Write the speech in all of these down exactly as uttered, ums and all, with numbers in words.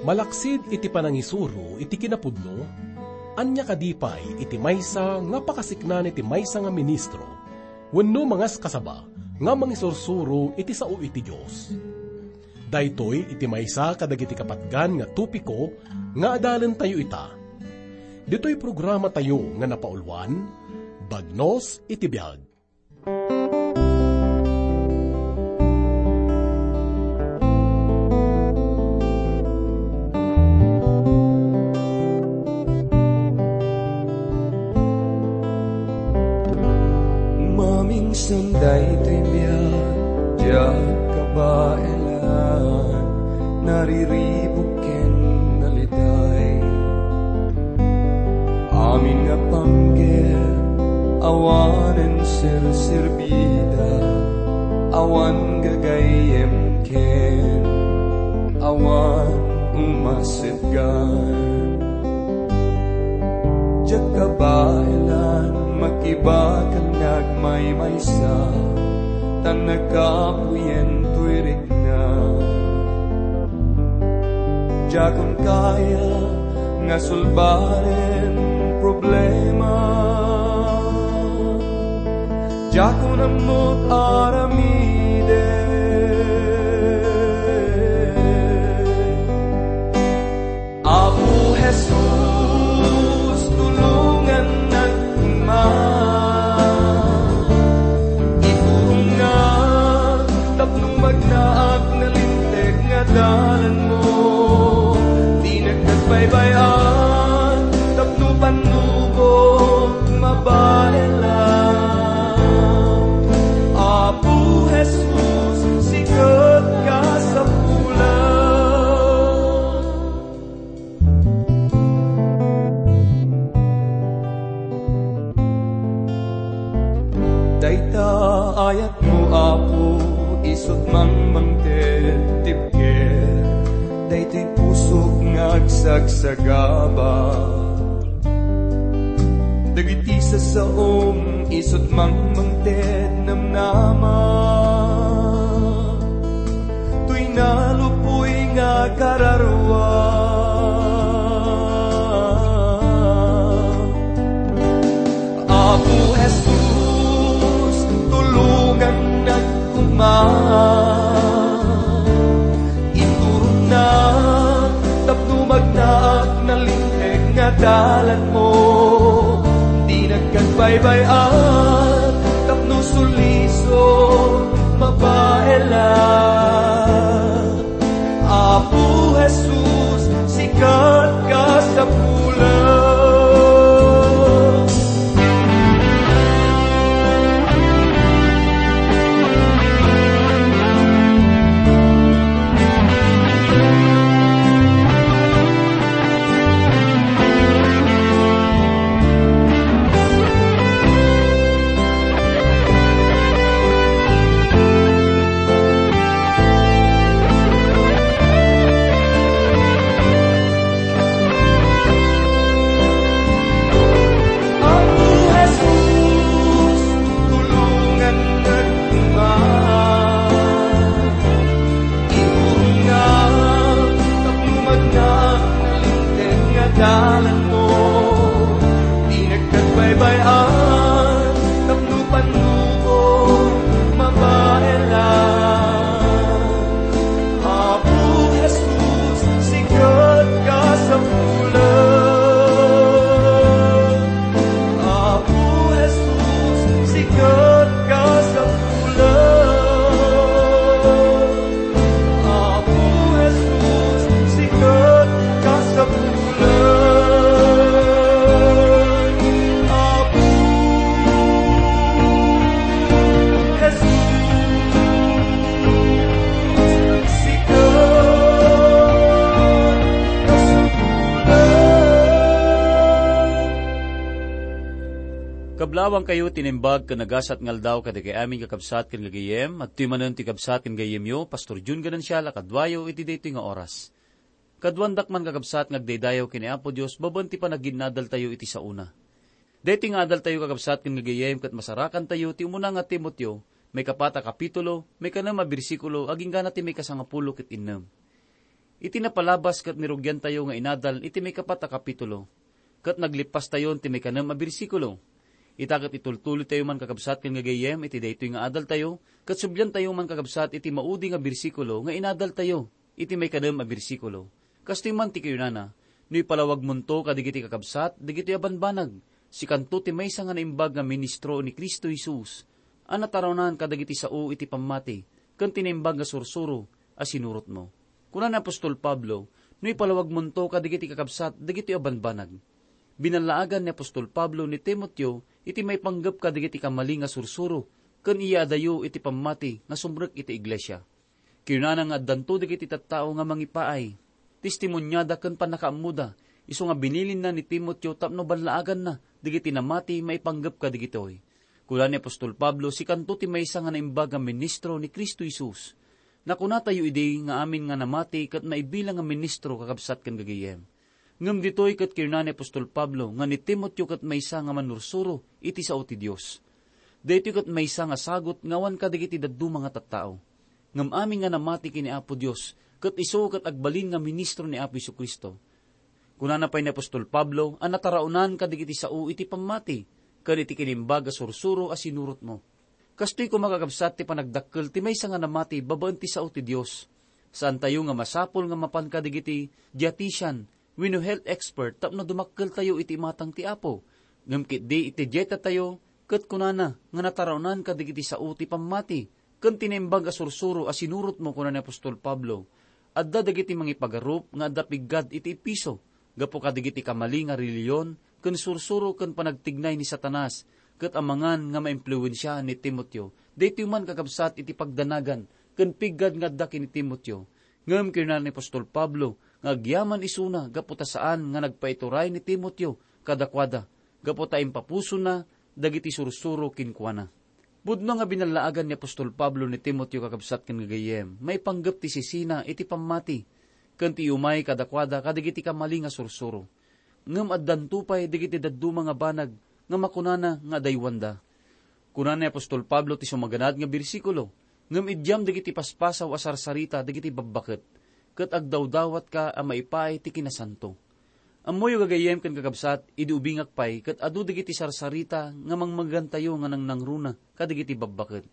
Malaksid iti panangisuro iti kinapudno, ania kadi pay iti maysa nga pakasiknan iti maysa nga ministro wenno mangaskasaba nga mangisursuro iti sao iti Dios? Daytoy iti maysa kadagiti kapatgan nga topiko nga adalentayo ita. Ditoy programatayo nga napauluan, Bagnos iti Biag. Mamingsan daytoy biag, diak kabaelan, nariribuk ken naliday. Amin nga panggep, awanen serserbida, awan gagayyem ken awan umasetgan. Diak kabaelan, makibakan nga agmaymaysa, tan nagkapuyen toy rikna. Diakon kaya nga sulbaren problema. Diakon ammot aramiden. Apo Jesus, tulongannak koma. Iturongna tapno magnaak nalinteg nga dalanmo. Dinak nagbaybay-an tapno pannubok mabaelan. Apo Jesus, sika ti kasapulan. Dayta ayatmo, Apo, isut' mangmangted ti bker. Daytoy pusok nga agsagsagaba. Dagiti sasaom, isut' mangmangted namnama. Toy nalupoy nga kararua. Apo Jesus, tulongannak koma. Iturongna tapno magnaak nalinteg nga dalanmo. Dinak nagbaybay-an tapno sulisok mabaelan. Apo Jesus, sika ti kasapulan. Apo Jesus, tulongannak koma. Iturongna tapno magnaak nalinteg nga dalanmo. Dinak nagbaybay-an tapno pannubok mabaelan. Apo Jesus, sika ti kasapulan. Apo Jesus, sika ti kasapulan. Apo Jesus, sika ti kasapulan. Apo Jesus, sika ti kasapulan. Kablawangkayo ti naimbag ken nagasat nga aldaw kadagiti amin kakabsat ken gagayyem. Adtoy manen ti kabsat ken gayyemyo, Pastor Jun Ganancial, a kaduayo iti daytoy nga oras. Kaduandak man, kakabsat, nga agdaydayaw ken ni Apo Dios babaen ti panaginnadaltayo iti saona. Daytoy nga adaltayo, kakabsat ken gagayyem, ket masarakantayo ti umuna nga Timoteo, maikapat a kapitulo, maikanem a bersikulo, agingga ti maikasangapulo ket innem. Iti napalabas ket nirugiantayo nga inadal iti maikapat a kapitulo, ket naglippastayon ti maikanem a bersikulo. Ita ket itultuloytayo man, kakabsat ken gagayyem, iti daytoy nga adaltayo, ket subliantayo man, kakabsat, iti maudi nga bersikulo nga inadaltayo iti maikanem a bersikulo. Kastoy man ti kinunana, "No ipalawagmonto kadagiti kakabsat dagitoy a banbanag, sikanto ti maysa nga naimbag nga ministro ni Cristo Jesus a nataronan kadagiti sao iti pammati ken ti naimbag nga sursuro a sinurotmo." Kuna ni apostol Pablo, "No ipalawagmonto kadagiti kakabsat dagitoy a banbanag." Binallaagan ni apostol Pablo ni Timoteo iti maipanggep kadagiti kamali nga sursuro ken iyaadayo iti pammati nga sumrek iti iglesia. Kinunana nga addanto dagiti tattao nga mangipaay, testimoniada ken pannakaammoda, isu nga binilinna ni Timoteo tapno ballaaganna dagiti namati maipanggep kadagitoy. Kuna ni apostol Pablo, "Sikanto ti maysa nga naimbag nga ministro ni Cristo Jesus." Nakunatayo idi nga amin nga namati ket maibilang nga ministro, kakabsat ken gagayyem. Ngem ditoy ket kinuna ni apostol Pablo nga ni Timoteo ket maysa nga mannursuro iti sao ti Dios. Daytoy ket maysa nga sagut nga awan kadagiti dadduma nga tattao. Ngem amin nga namati ken ni Apo Dios, ket isu ket agbalin nga ministro ni Apo Jesu-Cristo. Kunana pay ni apostol Pablo a nataraonan kadagiti sao iti pammati ken iti kinimbag a sursuro a sinurotmo. Kastoy koma, kakabsat, ti panagdakkel ti maysa nga namati babaen ti sao ti Dios. Saantayo nga masapul nga mapan kadagiti dietitian wenno health expert tapno dumakkeltayo iti imatang ti Apo. Ngem ketdi iti dietatayo, ket kunana nga nataraonan kadagiti sao ti pammati ken ti naimbag a sursuro a sinurotmo, kuna ni apostol Pablo. Adda dagiti mangipagarup nga adda piggad iti Efeso gapu kadagiti kamali nga relihiyon ken sursuro ken panagtignay ni Satanas, ket amangan nga maimpluensia ni Timoteo. Daytoy man, kakabsat, iti pagdanagan ken piggad nga adda ken ni Timoteo. Ngem kinuna ni apostol Pablo nga agyaman isuna gapu ta saan nga nagpaituray ni Timoteo kadakuada, gapu ta impapusona dagiti sursuro kenkuana. Pudno nga binallaagan ni apostol Pablo ni Timoteo, kakabsat ken gagayyem, maipanggep ti sisina iti pammati ken ti umay kadakuada kadagiti kamali nga sursuro. Ngem addanto pay dagiti dadduma nga banag nga makunana nga adaywanda. Kuna ni apostol Pablo ti sumaganad nga bersikulo, "Ngem idiam dagiti paspasaw a sarsarita dagiti babbaket, ket agdawdawatka a maipaay ti kinasanto." Ammoyo, gagayyem ken kakabsat, idi ubingak pay ket adu dagiti sarsarita nga mangmegantayo nga nangnangruna kadagiti babbaket.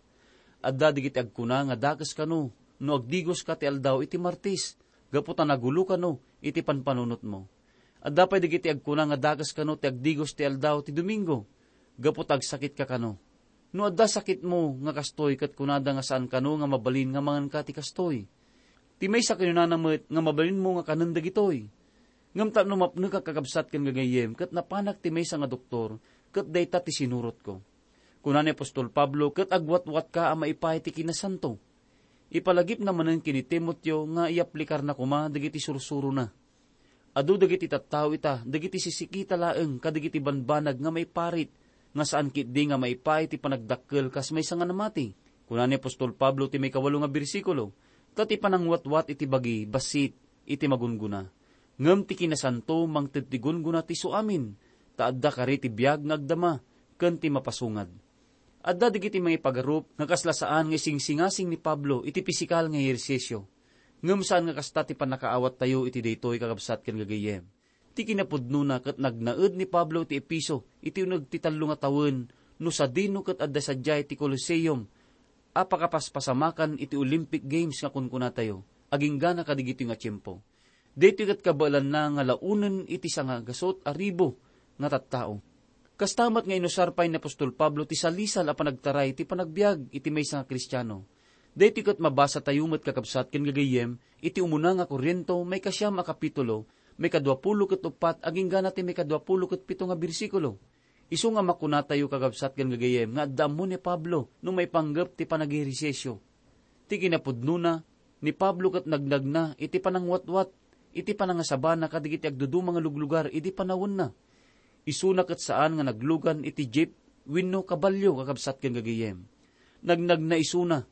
Adda dagiti agkuna nga dakes kano no agdigoska ti aldaw iti Martes, gapu ta nagulo kano iti panpanunotmo. Adda pay dagiti agkuna nga dakes kano ti agdigos ti aldaw ti Domingo, gapu ta agsakitka kano. No adda sakitmo nga kastoy ket kunada nga saan kano nga mabalin nga manganka ti kastoy. Ti maysa kinunana met nga mabalinmo nga kanen dagitoy. Ngem tapno mapnek a, kakabsat ken gagayyem, ket napanak ti maysa nga doktor, ket dayta ti sinurotko. Kuna ni apostol Pablo, "Ket agwatwatka a maipaay ti kinasanto." Ipalagipna manen ken ni Timoteo nga iyaplikarna koma dagiti sursurona. Adu dagiti tattao ita, dagiti sisikita laeng kadagiti banbanag nga maiparit, nga saan ketdi nga maipaay ti panagdakkel kas maysa nga namati. Kuna ni apostol Pablo ti maikawalo nga bersikulo, "Ta ti panangwatwat iti bagi bassit iti magunggona, ngem ti kinasanto mangted ti gunggona ti isuamin, ta adda kari ti biag nga agdama ken ti mapasungad." Adda dagiti mangipagarup nga kasla saan nga isingsingasing ni Pablo iti pisikal nga ehersisio. Ngem saan nga kasta ti pannakaawattayo iti daytoy, kakabsat ken gagayyem. Ti kinapudnona ket nagnaed ni Pablo iti Efeso iti uneg ti tallo nga tawen no sadino ket adda sadiay ti Coliseum a pakapaspasamakan iti Olympic Games nga kunkunatayo, aginggana kadagitoy nga tiempo. Daytoy ket kabaelanna nga laonen iti sangagasut a ribu nga tattao. Kasta met nga inusar pay ni apostol Pablo ti salisal a panagtaray ti panagbiag iti maysa nga Kristiano. Daytoy ket mabasatayo met, kakabsat ken gagayyem, iti umuna nga Corinto, maikasiam a kapitulo, maikadua pulo ket uppat aginggana ti maikadua pulo ket pito nga bersikulo. Isu nga makunatayo, kakabsat ken gagayyem, nga adda ammo ni Pablo no maipanggep ti panagehersisio. Ti kinapudnona, ni Pablo ket nagnagna iti panangwatwat iti panangasabana kadagiti agduduma nga luglugar idi panawenna. Isuna ket saan nga naglugan iti jeep wenno kabalio, kakabsat ken gagayyem. Nagnagna isuna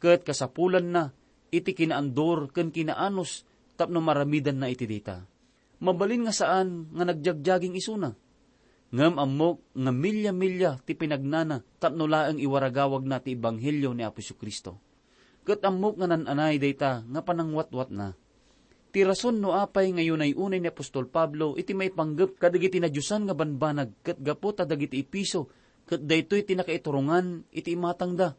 ket kasapulanna iti kinaandur ken kinaanus tapno maramidanna iti dayta. Mabalin nga saan nga nagjagjaging isuna. Ngem ammok nga milya-milya ti pinagnana tapno laeng iwaragawagna ti ebanghelio ni Apo Jesu-Cristo. Ket ammok nga nan-anay dayta nga panangwatwatna. Ti rason no apay nga inunay-unay ni apostol Pablo iti maipanggep kadagiti nadiosan nga banbanag ket gapu ta dagiti Efeso ket daytoy ti nakaiturongan iti imatangda.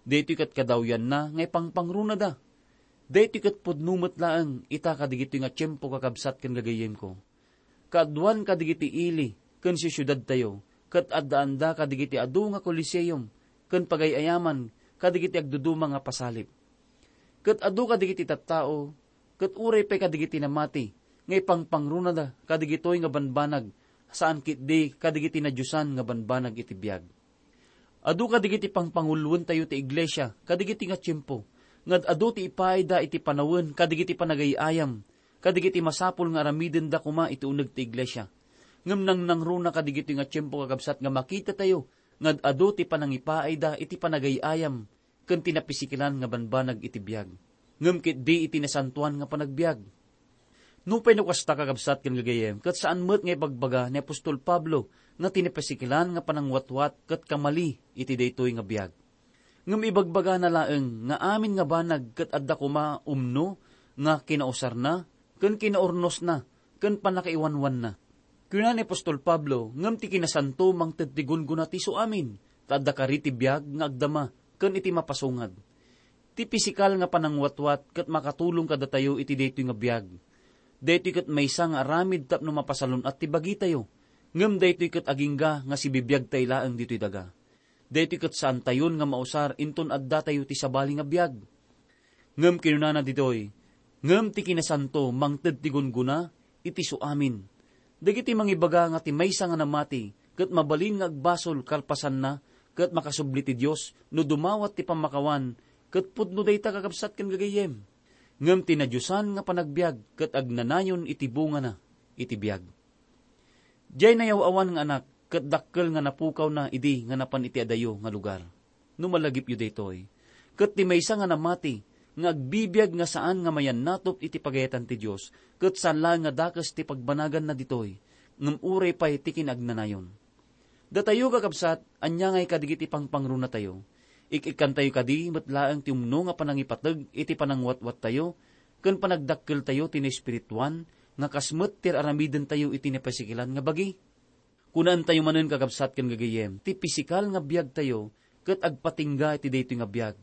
Daytoy ket kadawyanna nga ipangpangrunada. Daytoy ket pudno met laeng ita kadagitoy nga tiempo, kakabsat ken gagayyemko. Kaaduan kadagiti ili ken siusiudadtayo, ket addaanda kadagiti adu nga Coliseum ken pagay-ayaman kadagiti agduduma nga pasalip. Ket adu kadagiti tattao, ket uray pay kadagiti namati, nga ipangpangrunada kadagitoy nga banbanag, saan ketdi kadagiti nadiosan nga banbanag iti biag. Adu kadagiti pangpangulluentayo ti iglesia kadagiti nga tiempo, nga ad-adu ti ipaayda iti panawen kadagiti panagay-ayam, kadagiti masapul nga aramidenda koma iti uneg ti iglesia. Ngem nangnangruna kadagiti nga tiempo, kakabsat, nga makitatayo nga ad-adu ti panangipaayda iti panagay-ayam ken ti napisikilan nga banbanag iti biag, ngem ketdi iti nasantoan nga panagbiag. Nupay no kasta, kakabsat ken gagayyem, ket saan met nga ibagbaga ni apostol Pablo nga ti napisikilan nga panangwatwat ket kamali iti daytoy nga biag. Ngem ibagbagana laeng nga amin nga banag ket adda koma umno nga kinausarna ken kinaurnosna ken pannakaiwanwanna. Kuna ni apostol Pablo, ngem ti kinasanto mangted ti gunggona ti isu amin, ta adda kari ti biag nga agdama ken iti mapasungad. Ti pisikal nga panangwatwat ket makatulong kadatayo iti daytoy nga biag. Daytoy ket maysa nga aramid tapno mapasalun-at ti bagitayo, ngem daytoy ket agingga nga sibibiagtayo laeng ditoy daga. Daytoy ket saantayon nga mausar inton addatayo ti sabali nga biag. Ngem kinunana ditoy, ngem ti kinasanto mangted ti gunggona iti isu amin. Dagiti mangibaga nga ti maysa nga namati ket mabalin nga agbasol kalpasanna ket makasubli ti Dios no dumawat ti pammakawan, ket pudno dayta, kakabsat ken gagayyem. Ngem ti nadiosan nga panagbiag ket agnanayon iti bungana iti biag. Diay nayaw-awan nga anak ket dakkel nga napukawna idi nga napan iti adayo nga lugar. No malagipyo daytoy, ket ti maysa nga namati nga agbibiag nga saan nga mayannatop iti pagayatan ti Dios, ket saan laeng nga dakes ti pagbanaganna ditoy, ngem uray pay ti kinaagnanayon. Datayo, kakabsat, ania ngay kadagiti pangpangrunatayo? Ik-ikkantayo kadi met laeng ti umno nga panangipateg iti panangwatwattayo ken panagdakkeltayo ti naespirituan nga kas met ti ar-aramidentayo iti napasikilan nga bagi? Kunaentayo manen, kakabsat ken gagayyem, ti pisikal nga biagtayo ket agpatingga iti daytoy nga biag.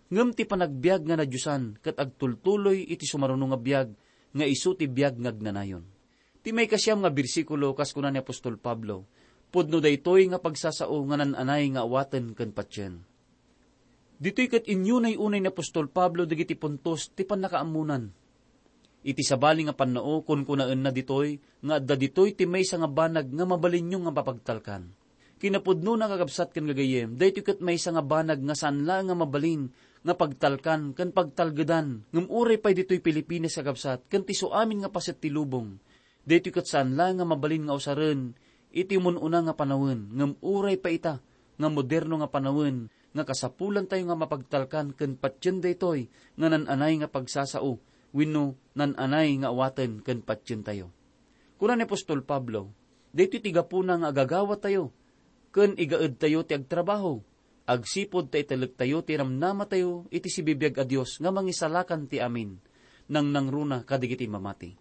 Ngem ti panagbiag nga nadiosan ket agtultuloy iti sumaruno nga biag nga isu ti biag nga agnanayon. Ti maikasiam nga bersikulo, kas kuna ni apostol Pablo, pudno daytoy nga pagsasao nga naan-anay nga awaten ken patien. Ditoy ket inyunay-unay ni apostol Pablo dagiti puntos ti pannakaammonan. Iti sabali nga pannao, kunkunaenna ditoy nga adda ditoy ti maysa nga banag nga mabalinyo nga mapagtalkan. Kinapudnona, kakabsat ken gagayyem, daytoy ket maysa nga banag nga saan laeng nga mabalin nga pagtalkan ken pagtalgedan, ngem uray pay ditoy Pilipinas, kakabsat, ken ti isu amin nga paset ti lubong, daytoy ket saan laeng nga mabalin nga usaren iti umun-una nga panawen, ngem uray pay ita nga moderno nga panawen nga kasapulantayo nga mapagtalkan ken patien daytoy nga naan-anay nga pagsasao wenno naan-anay nga awaten ken patientayo. Kuna ni apostol Pablo, daytoy ti gapuna nga agagawatayo ken igaedtayo ti agtrabaho, agsipud ta itelektayo ti namnamatayo iti sibibiag a Dios nga Mangisalakan ti amin, nangnangruna kadagiti mamati.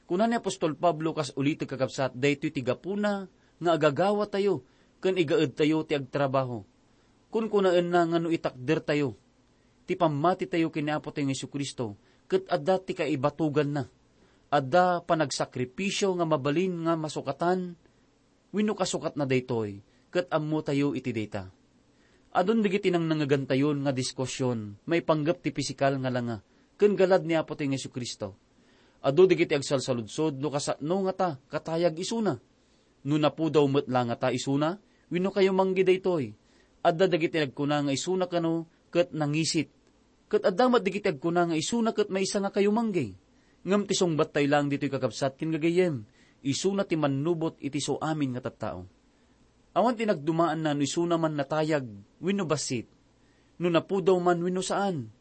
Kuna ni apostol Pablo, kas ulitek, kakabsat, daytoy ti gapuna nga agagawatayo ken igaedtayo ti agtrabaho. Kunkunaenna nga no itakdertayo ti pammatitayo ken ni Apotayo nga Jesu-Cristo, ket adda ti kaibatuganna. Adda panagsakripisio nga mabalin nga masukatan wenno kasukatna daytoy, ket ammotayo iti dayta. Adun dagiti nangnangegantayon nga diskusion maipanggep ti pisikal nga langa ken galad ni Apotayo nga Jesu-Cristo. Adu dagiti agsalsaludsod no kasano ngata katayag isuna. No napudaw met la ngata isuna wenno kayumanggi daytoy. Adda dagiti nagkuna nga isuna kano ket nangisit. Ket adda met dagiti agkuna nga isuna ket maysa nga kayumanggi. Ngem ti sungbattayo laeng ditoy, kakabsat ken gagayyem, isuna ti mannubot iti isu amin nga tattao. Awan ti nagdumaanna no isuna man natayag wenno bassit, no napudaw man wenno saan.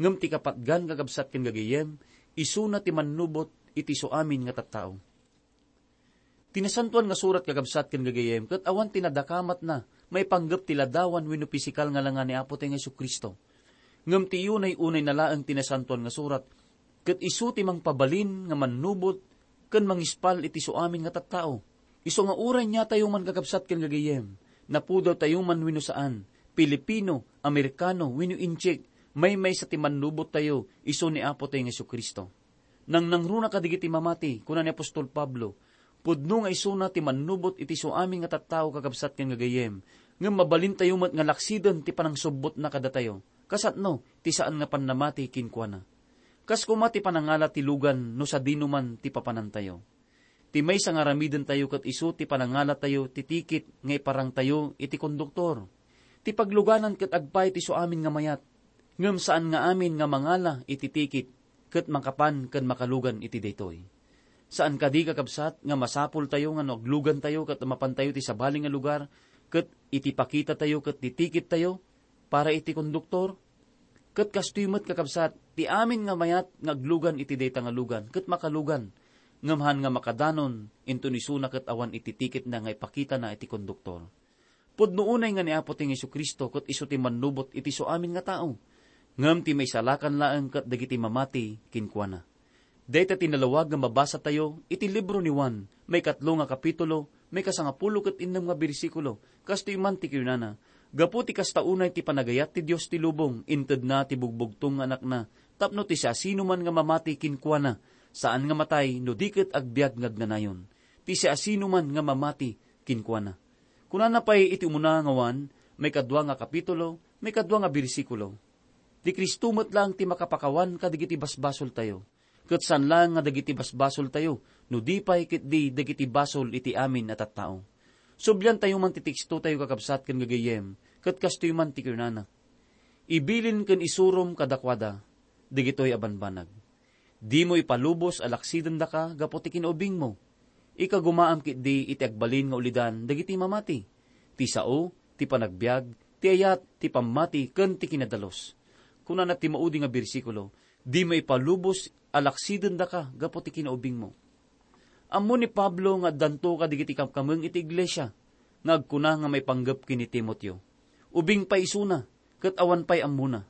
Ngem ti kapatgan, kakabsat ken gagayyem, isuna ti mannubot iti isu amin nga tattao. Ti Nasantoan nga Surat, kakabsat ken gagayyem, ket awan ti nadakamatna maipanggep ti ladawan wenno pisikal nga langa ni Apotayo nga Jesu-Cristo. Ngem ti iyunay-unayna laeng ti Nasantoan nga Surat, Ket isu ti mangpabalin nga mannubot ken mangispal iti isuamin nga tattao. Isu nga uray niatayo man, kakabsat ken gagayyem, napudawtayo man wenno saan, Pilipino, Amerikano, wenno Intsik, maymaysa ti mannubottayo, isu ni Apotayo nga Jesu-Cristo. Nangnangruna kadagiti mamati, kuna ni apostol Pablo, pudno nga isuna ti mannubot iti isuamin nga tattao, kakabsat ken gagayyem, ngem mabalintayo met nga laksiden ti panangsubbotna kadatayo, kasano ti saan nga pannamati kenkuana. Kas koma ti panangala ti lugan no sadinoman ti papanantayo. Ti maysa nga aramidentayo ket isu ti panangalatayo ti tikit nga iparangtayo iti konduktor. Ti pagluganan ket agpaay ti isuamin nga mayat, ngem saan nga amin nga mangala iti tikit ket makapan ken makalugan iti daytoy. Saan kadi, kakabsat, nga masapultayo nga no aglugantayo ket mapantayo ti sabali nga lugar ket iti pakitatayo ket ti tikittayo para iti konduktor? Ket kastoy met, kakabsat, ti amin nga mayat nga aglugan iti dayta nga lugan ket makalugan, ngem haan nga makadanon inton isuna ket awan iti tikitna nga ipakitana iti konduktor. Pudno unay nga ni Apotayo nga Jesu-Cristo ket isu ti mannubot iti isuamin nga tao, ngem ti maisalakan laeng ket dagiti mamati kenkuana. Dayta ti nalawag nga mabasatayo iti libro ni Juan, maikatlo nga kapitulo, maikasangapulo ket innem nga bersikulo. Kastoy man ti kinunana, gapu ti kasta unay ti panagayat ti Dios ti lubong, intedna ti bugbugtong nga Anakna, tapno ti siasinoman nga mamati kenkuana, saan nga matay no di ket agbiag nga agnanayon. Ti siasinoman nga mamati kenkuana. Kunana pay iti umuna nga Juan, maikadua nga kapitulo, maikadua nga bersikulo, ti Cristo met laeng ti makapakawan kadagiti basbasoltayo, ket saan laeng nga dagiti basbasoltayo, no di pay ketdi dagiti basol iti amin a tattao. Subliantayo man ti tekstotayo, kakabsat ken gagayyem, ket kastoy man ti kunana, "Ibilin ken isurom kadakuada dagitoy a banbanag." Dimo ipalubos a laksidendaka gapu ti kinaubingmo. Ikagumaam ketdi iti agbalin nga ulidan dagiti mamati. Ti sao, ti panagbiag, ti ayat, ti pammati, ken ti kinadalus. Kunana ti maudi nga bersikulo, "Dimo ipalubos a laksidendaka gapu ti kinaubingmo." Ammo ni Pablo nga addanto kadagiti kamkameng iti iglesia nga agkuna nga maipanggep ken ni Timoteo. Ubing pay isuna, ket awan pay ammona.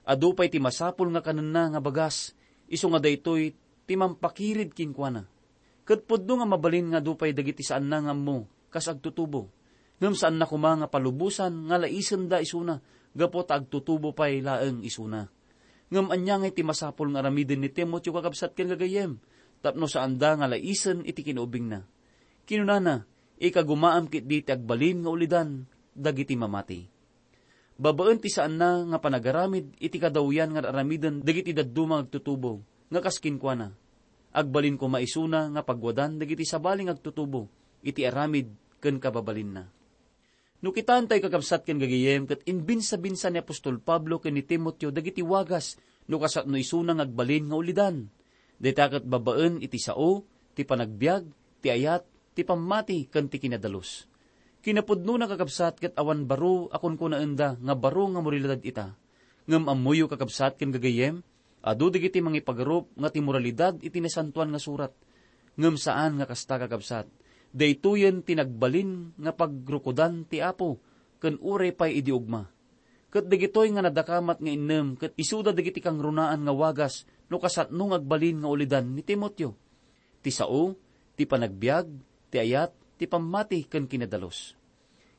Adu pay ti masapul nga kanenna nga bagas, isu nga daytoy ti mampakirid kenkuana. Ket pudno nga mabalin nga adu pay dagiti saanna nga ammo kas agtutubo. Ngem saanna koma nga palubosan nga alaisenda isuna gapu ta agtutubo pay laeng isuna. Ngem ania ngay ti masapul nga aramiden ni Timoteo, kakabsat ken gagayyem, tapno saanda nga alaisen iti kinaubingna? Kinunana, "Ikagumaam ketdi ti agbalin nga ulidan dagiti mamati." Babaen ti saanna nga panagaramid iti kadawyan nga aramiden dagiti dadduma nga agtutubo, nga kas kenkuana, agbalin koma isuna nga pagwadan dagiti sabali nga agtutubo iti aramid ken kababalinna. No kitaentayo, kakabsat ken gagayyem, ket inbinsabinsa ni apostol Pablo ken ni Timoteo dagiti wagas no kasano isuna nga agbalin nga ulidan. Dayta ket babaen iti sao, ti panagbiag, ti ayat, ti pammati, ken ti kinadalus. Kinapudnona, kakabsat, ket awan baro a kunkunaenda nga baro nga moralidad ita. Ngem ammoyo, kakabsat ken gagayyem, adu dagiti mangipagarup nga ti moralidad iti Nasantoan nga Surat. Ngem saan nga kasta, kakabsat. Daytoyen ti nagbalin nga pagrukodan ti Apo, ken uray pay idi ugma. Ket dagitoy nga nadakamat nga innem ket isuda dagiti kangrunaan nga wagas no kasano nga agbalin nga ulidan ni Timoteo. Ti sao, ti panagbiag, ti ayat, ti pammati, ken kinadalus.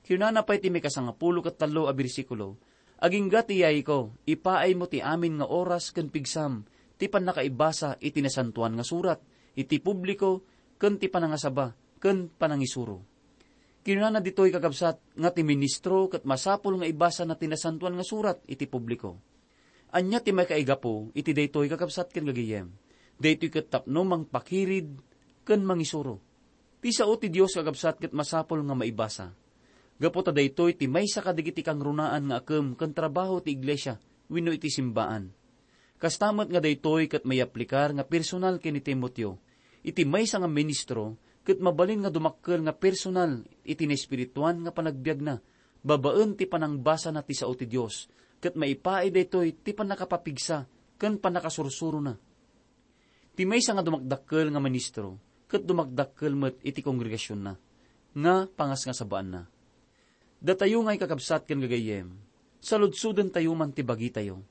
Kinunana pay ti mikasangapulo ket tallo a bersikulo, "Agingga ti yayko, ipaaymo ti amin nga oras ken pigsam ti pannakaibasa iti Nasantoan nga Surat, iti publiko, ken ti panangasaba, ken panangisuro." Kinunana ditoy, kakabsat, nga ti ministro ket masapul nga ibasana ti Nasantoan nga Surat iti publiko. Ania ti makaigapu iti daytoy, kakabsat ken gagayyem? Daytoy ket tapno mangpakirid ken mangisuro. Ti sao ti Dios, kakabsat, ket masapul nga maibasa. Gapu ta daytoy ti maysa kadagiti kangrunaan nga akem ken trabaho ti iglesia wenno iti simbaan. Kasta met nga daytoy ket maiyaplikar nga personal ken ni Timoteo. Iti maysa nga ministro ket mabalin nga dumakkel nga personal iti naespirituan nga panagbiagna babaen ti panangbasana ti sao ti Dios, ket maipaay daytoy ti pannakapapigsa ken pannakasursurona. Ti maysa nga dumakdakkel nga ministro ket dumakdakkel met iti kongregasionna nga pangasngasabaanna. Datayo ngay, kakabsat ken gagayyem, saludsodentayo man ti bagitayo.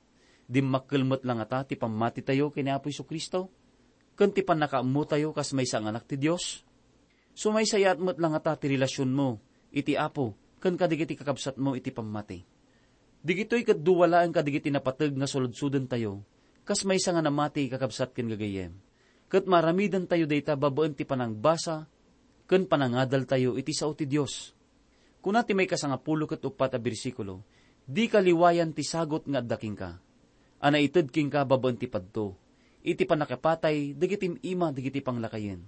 Dimmakkel met la ngata ti pammatitayo ken ni Apo Jesu-Cristo, ken ti pannakaammotayo kas maysa nga anak ti Dios? Sumaysayaat met la ngata ti relasionmo iti Apo ken kadagiti kakabsatmo iti pammati? Digitoy ket dua laeng kadagiti napateg nga suludsodentayo kas maysa nga namati, kakabsat ken gagayyem, ket maaramidentayo dayta babaen ti panangbasa ken panangadaltayo iti sao ti Dios. Kuna ti maikasangapulo ket uppat a bersikulo, "Dika liwayan ti sagut nga adda kenka, a naited kenka babaen ti padto, iti pannakipatay dagiti im-ima dagiti panglakayen."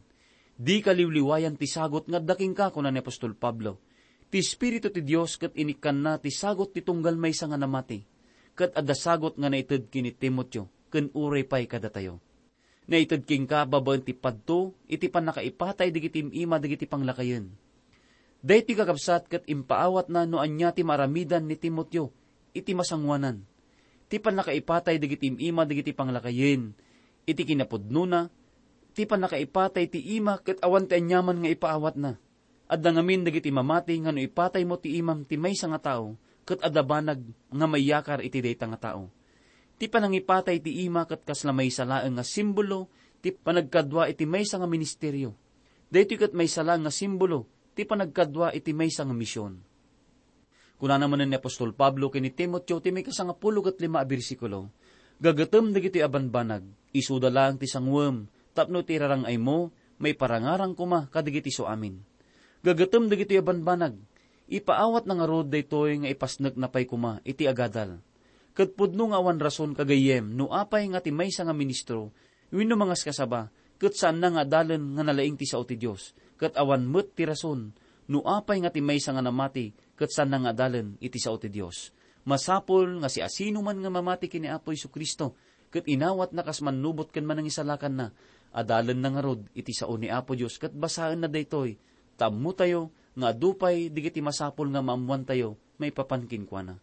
"Dika liwliwayan ti sagut nga adda kenka," kuna ni apostol Pablo. Ti Espiritu ti Dios ket inikkanna ti sagut ti tunggal maysa nga namati, ket adda sagut nga naited ken ni Timoteo ken uray pay kadatayo. "Naited kenka babaen ti padto iti pannakaipatay dagiti im-ima dagiti panglakayen." Daytoy, kakabsat, ket impaawatna no ania ti maaramidan ni Timoteo iti masangoanan. Ti pannakaipatay dagiti im-ima dagiti panglakayen iti kinapudnona, ti pannakaipatay ti ima ket awan ti aniaman nga ipaawatna. Adda ngamin dagiti mamati nga no ipataymo ti imam ti maysa nga tao, ket adda banag nga maiyakar iti dayta nga tao. Ti panangipatay ti ima ket kasla maysa laeng nga simbolo ti panagkadua iti maysa nga ministerio. Daytoy ket maysa laeng nga simbolo ti panagkadua iti maysa nga mision. Kunana manen ni apostol Pablo ken ni Timoteo ti maikasangapulo ket lima a bersikulo, "Gagatem dagitoy a banbanag, isuda laeng ti sanguem, tapno ti rarang-aymo maiparangarang koma kadagiti suamin." Gagatem dagitoy a banbanag, ipaawatna ngarud daytoy nga ipasnekna pay koma iti agadal. Ket pudno nga awan rason, kagayyem, no apay nga ti maysa nga ministro wenno mangaskasaba ket saanna nga adalen nga nalaing ti sao ti Dios, ket awan met ti rason no apay nga ti maysa nga namati ket saanna nga adalen iti sao ti Dios. Masapul nga siasinoman nga mamati ken ni Apo Jesu-Cristo ket inawatna kas mannubot ken manangisalakanna, adalenna ngarud iti sao ni Apo Dios ket basaenna daytoy, ta ammotayo nga adu pay dagiti masapul nga maammoantayo maipapan kenkuana.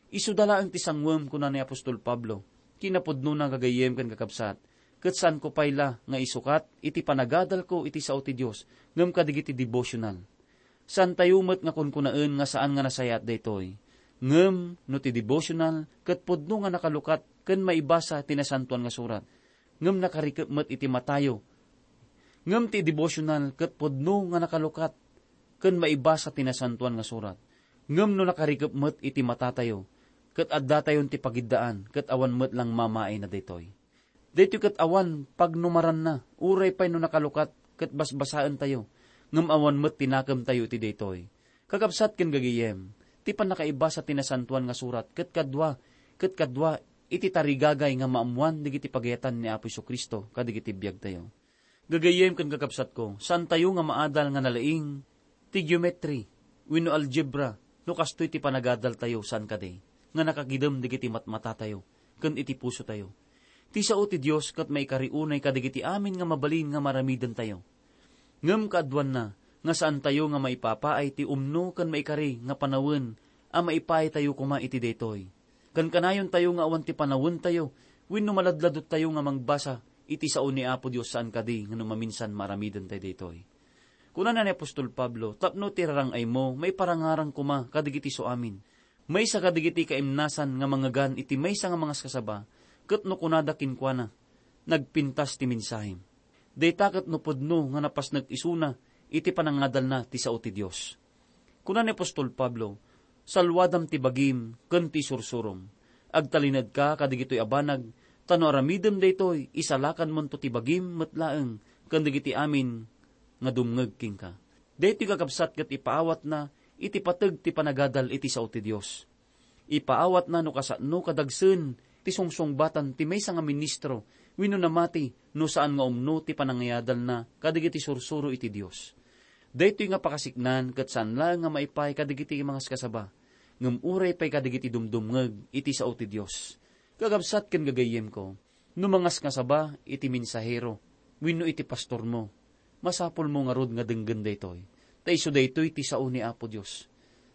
"Isuda laeng ti sanguem," kuna ni apostol Pablo. Kinapudnona, gagayyem ken kakabsat, ket saanko pay la nga isukat iti panagadalko iti sao ti Dios ngem kadagiti devotional. Saantayo met nga kunkunaen nga saan nga nasayaat daytoy. Ngem no ti devotional ket pudno nga nakalukat ken maibasa ti Nasantoan nga Surat, ngem nakarikep met iti matayo. Ngem ti devotional ket pudno nga nakalukat ken maibasa ti Nasantoan nga Surat. Ngem no nakarikep met iti matatayo, ket addatayon ti pagiddaan, ket awan met langmamaayna daytoy. Daytoy ket awan pagnumaranna, uray pay no nakalukat ket basbasaentayo, ngem awan met ti nakemtayo iti daytoy. Kakabsat ken gagayyem, ti pannakaibasa ti Nasantoan nga Surat ket kadua, ket kadua iti tarigagay nga maammoan dagiti pagayatan ni Apo Jesu-Cristo kadagiti biagtayo. Gagayyem ken kakabsatko, saantayo nga maadal nga nalaing ti geometry wenno algebra no kastoy ti panagadaltayo, saan kadi, nga nakagidem dagiti matmatatayo ken iti pusotayo. Ti sao ti Dios ket maikari unay kadagiti amin nga mabalin nga maramidentayo. Ngem kaaduanna nga saantayo nga maipapaay ti umno ken maikari nga panawen a maipaaytayo koma iti daytoy. Kankanayontayo nga awan ti panawentayo wenno maladladottayo nga mangbasa iti sao ni Apo Dios, saan kadi nga no maminsan maaramidentayo daytoy. Kunana ni apostol Pablo, "Tapno ti rarang-aymo maiparangarang koma kadagiti suamin." Maysa kadagiti kaimnasan nga mangngegan iti maysa nga mangaskasaba, ket no kunada kenkuana, "Nagpintas ti mensahem." Dayta ket no pudno nga napasnek isuna iti panangadalna ti sao ti Dios. Kuna ni apostol Pablo, "Salwadam ti bagim ken ti sursurom. Agtalinaedka kadagitoy a banag, ta no aramidem daytoy, isalakanmonto ti bagim met laeng ken dagiti amin nga dumngeg kenka." Daytoy, kakabsat, ket ipaawatna iti pateg ti panagadal iti sao ti Dios. Ipaawatna no kasano kadagsen ti sungsungbatan ti maysa nga ministro wenno namati no saan nga umno ti panangayadalna kadagiti sursuro iti Dios. Daytoy nga pakasiknan ket saan laeng nga maipaay kadagiti mangaskasaba, ngem uray pay kadagiti dumdumngeg iti sao ti Dios. Kakabsat ken gagayyemko, no mangaskasaba iti mensahero wenno iti pastormo, masapulmo ngarud nga denggen daytoy, ta isu daytoy ti sao ni Apo Dios.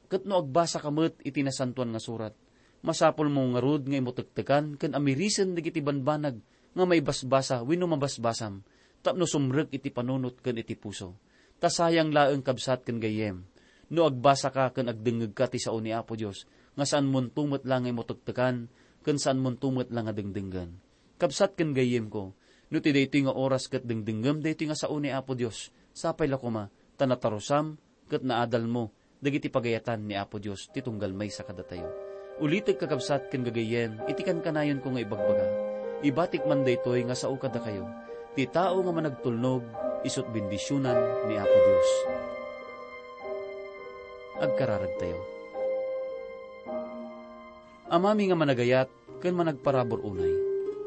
Ket no agbasaka met iti Nasantoan nga Surat, masapulmo ngarud nga imutektekan ken amirisen dagiti banbanag nga maibasbasa wenno mabasbasam tapno sumrek iti panunot ken iti puso. Ta sayang laeng, kabsat ken gayyem, no agbasaka ken agdengngegka ti sao ni Apo Dios nga saanmonto met la nga imutektekan ken saanmonto met la nga dengdenggen. Kabsat ken gayyemko, no ti daytoy nga oras ket dengdengngem daytoy nga sao ni Apo Dios, sapay la koma, ta natarusam ket naadalmo dagiti pagayatan ni Apo Dios ti tunggal maysa kadatayo. Ulitek, kakabsat ken gagayyem, iti kankanayonko nga ibagbaga, ibatik man daytoy nga sao kadakayo, ti tao nga managtulnog, isut' bendisionan ni Apo Dios. Agkararagtayo. Amami nga managayat ken managparabur unay,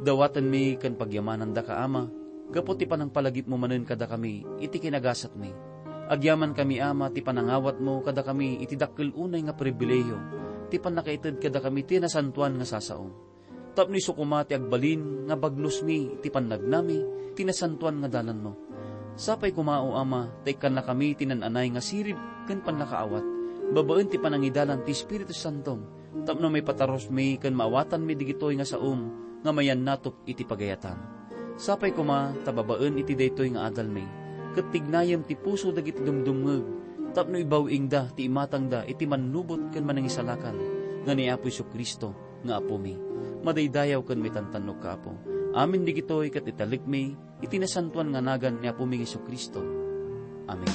dawatenmi ken pagyamanandaka, Ama, gapu ti panangpalagipmo manen kadakami iti kinagasatmi. Agyamankami, Ama, ti panangawatmo kadakami iti dakkel unay nga pribilehiyo, ti pannakaited kadakami ti nasantoan nga sasaom. Tapno isu koma ti agbalin nga bagnosmi iti pannagnami ti nasantoan nga dalanmo. Sapay koma, O Ama, ta ikkannakami ti naan-anay nga sirib ken pannakaawat, babaen ti panangidalan ti Espiritu Santom, tapno maipatarusmi ken maawatanmi digitoy nga saom nga mayannatop iti pagayatam. Sapay koma ta babaen iti daytoy nga adalmi, ket tignayem ti puso dagiti dumdumngeg, tapno ibaw-ingda ti imatangda iti mannubot ken manangisalakan nga ni Apo Jesu-Cristo nga Apomi. Madaydayaw ken maitantannokka, Apo. Amin digitoy ket italekmi iti nasantoan nga nagan ni Apomi Jesu-Cristo. Amen.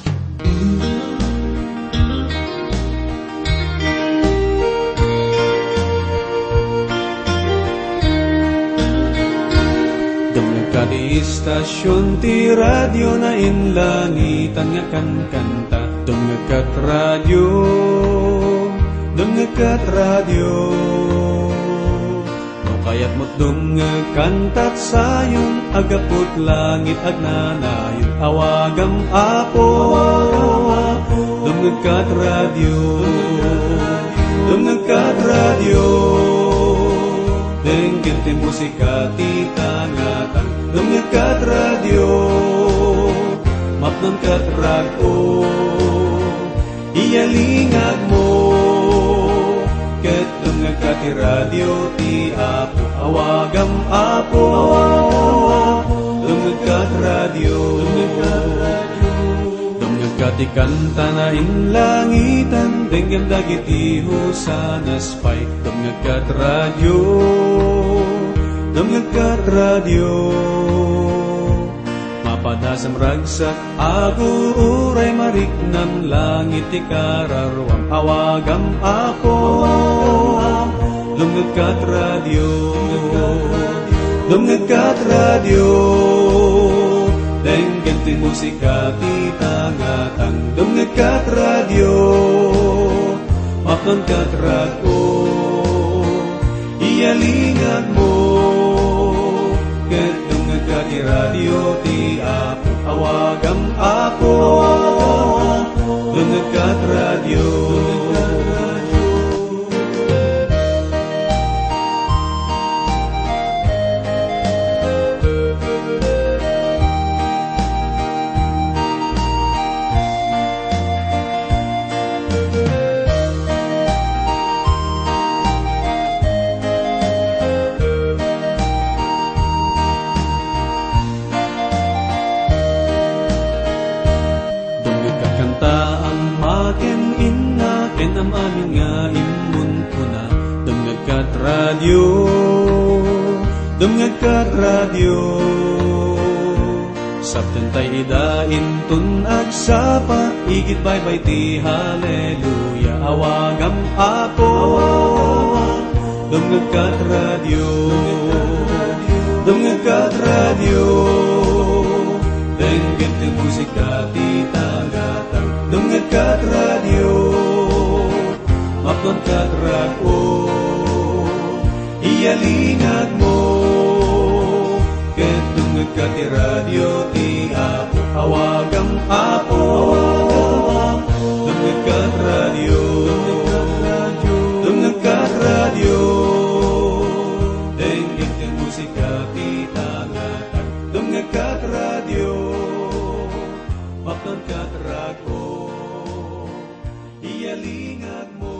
Dumngegka ti istasion ti radio, nainlangitan nga kankanta. Dumngegka ti radio, dumngegka ti radio. No kayatmo't dumngeg kantat sayon, agaput langit agnanayon, awagam Apo. Dumngegka ti radio, dumngegka ti radio. Denggen ti musika ti tangatang. Dumngegka ti radio, mapnonka ti rag-o. Iyalingagmo, ket dumngegka ti radio ti Apo. Awagam Apo, dumngegka ti radio. Dumngegka ti kanta, nainlangitan, denggem dagiti hosanas pay. Dumngegka ti radio, dumngegka ti radio. Mapadasam ragsak, aguray mariknam, langit ti kararuam, awagam Apo. Dumngegka ti radio, dumngegka ti radio, denggen ti musika ti tangatang. Dumngegka ti radio, mapnonka ti rag-o. Iyalingagmo, ket dumngegka ti radio ti Apo. Awagam Apo, dumngegka ti radio. Dumngegka ti kanta, ama ken inna, ken am-amin nga immunkuna. Dumngegka ti radio, dumngegka ti radio. Saptentay ida inton agsapa, igid baybay ti haleluya. Awagam Apo, dumngegka ti radio, dumngegka ti radio. Denggen ti musika ti tangatang. Dumngegka ti radio, mapnonka ti rag-o. Iyalingagmo, ket dumngegka ti radio ti Apo. Awagam Apo, dumngegka ti radio, dumngegka ti radio. Denggen ti musika ti tangatang. Dumngegka ti radio, mapnonka ti rag-o. Iyalingagmo,